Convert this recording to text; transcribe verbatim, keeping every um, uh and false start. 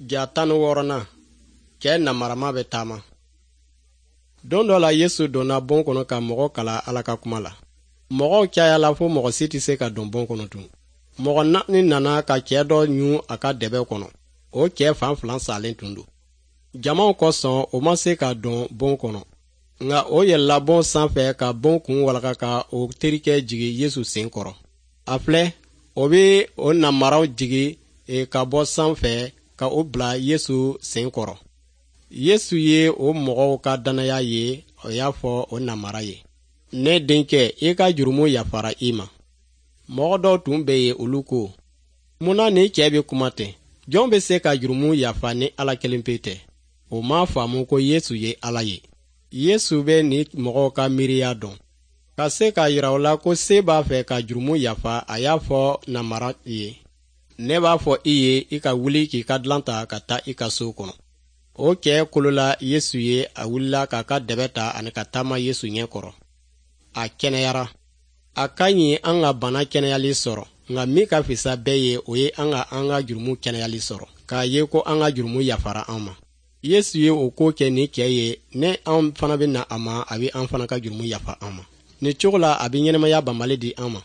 Ja tan ni wɔɔrɔnan, cɛɛ namarama bɛ taama. Don dɔ la, Yesu donna bon kɔnɔ ka mɔgɔ kalan Ala ka kuma la. Mɔgɔw cayala fo mɔgɔ si tɛ se ka don bon kɔnɔ tun. Mɔgɔ naani nana ka cɛɛ dɔ ɲun a ka dɛbɛ kɔnɔ. O cɛɛ fan fila salen tun don. Jamaw kosɔn, o ma se ka don bon kɔnɔ, nka o yɛlɛla bon sanfɛ ka bon kun walaka ka o terikɛ jigin Yesu sen kɔrɔ. A filɛ, o bɛ o namaraw jigin e, ka bɔ sanfɛ ka o bila Yesu sen kɔrɔ. Yesu ye o mɔgɔw ka dannaya ye. O y'a fɔ o namara ye: "Ne denkɛ, i ka jurumu yafara i ma." Mɔgɔ dɔw tun bɛ yen, olu ko: "Mun na nin cɛɛ bɛ kuma ten? Jɔn bɛ se ka jurumu yafa ni Ala kelen pe tɛ?" O m'a faamu ko Yesu ye Ala ye. Yesu bɛ nin mɔgɔw ka miiriya dɔn. Ka se k'a yira u la ko se b'a fɛ ka jurumu yafa, a y'a fɔ namara ye: "Ne b'a fɔ i ye, i ka wuli k'i ka dilan ta ka taa i ka so kɔnɔ." O cɛɛ kolola Yesu ye. A wulila k'a ka dɛbɛ ta ani ka taama Yesu ɲɛ kɔrɔ. A kɛnɛyara. A ka ɲi an ka bana kɛnɛyali sɔrɔ, nka min ka fisa bɛɛ ye, o ye an ka an ka jurumu kɛnɛyali sɔrɔ, k'a ye ko an ka jurumu yafara an ma. Yesu ye o ko kɛ nin cɛɛ ye. Ne an fana bɛ na a ma, a bɛ an fana ka jurumu yafa an ma. Nin cogo la, a bɛ ɲɛnamaya banbali di an ma.